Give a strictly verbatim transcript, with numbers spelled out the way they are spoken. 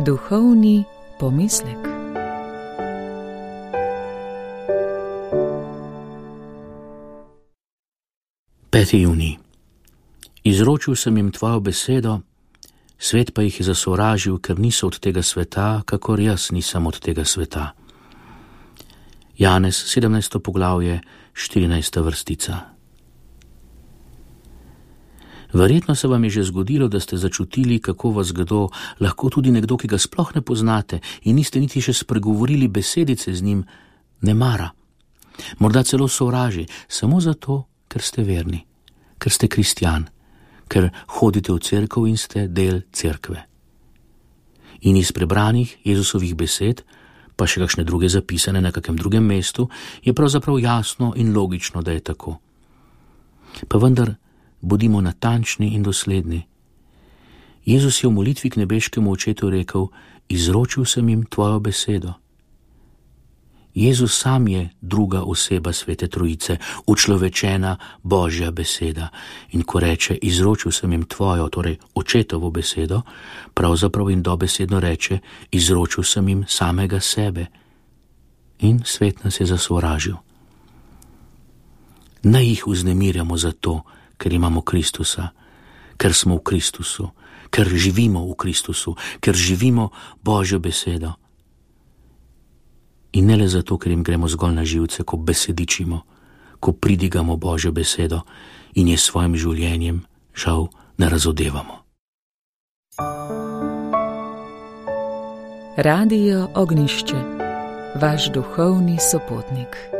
Duhovni pomislek. peti junij. Izročil sem jim tvojo besedo, svet pa jih je zasovražil, ker niso od tega sveta, kakor jaz nisem od tega sveta. Janez, sedemnajsto poglavje, štirinajsta vrstica. Verjetno se vam je že zgodilo, da ste začutili, kako vas kdo, lahko tudi nekdo, ki ga sploh ne poznate in niste niti še spregovorili besedice z njim, ne mara. Morda celo sovraži, samo zato, ker ste verni, ker ste kristjan, ker hodite v cerkev in ste del cerkve. In iz prebranih Jezusovih besed, pa še kakšne druge zapisane na kakem drugem mestu, je pravzaprav jasno in logično, da je tako. Pa vendar, bodimo natančni in dosledni. Jezus je v molitvi k nebeškemu očetu rekel: izročil sem jim tvojo besedo. Jezus sam je druga oseba Svete Trojice, učlovečena Božja beseda. In ko reče: izročil sem jim tvojo, torej očetovo besedo, pravzaprav in dobesedno reče: izročil sem jim samega sebe. In svet nas je zasovražil. Naj jih vznemirjamo zato, ker imamo Kristusa, ker smo v Kristusu, ker živimo v Kristusu, ker živimo Božjo besedo. In ne le zato, ker jim gremo zgolj na živce, ko besedičimo, ko pridigamo Božjo besedo in je s svojim življenjem žal ne razodevamo. Radio Ognjišče, vaš duhovni sopotnik.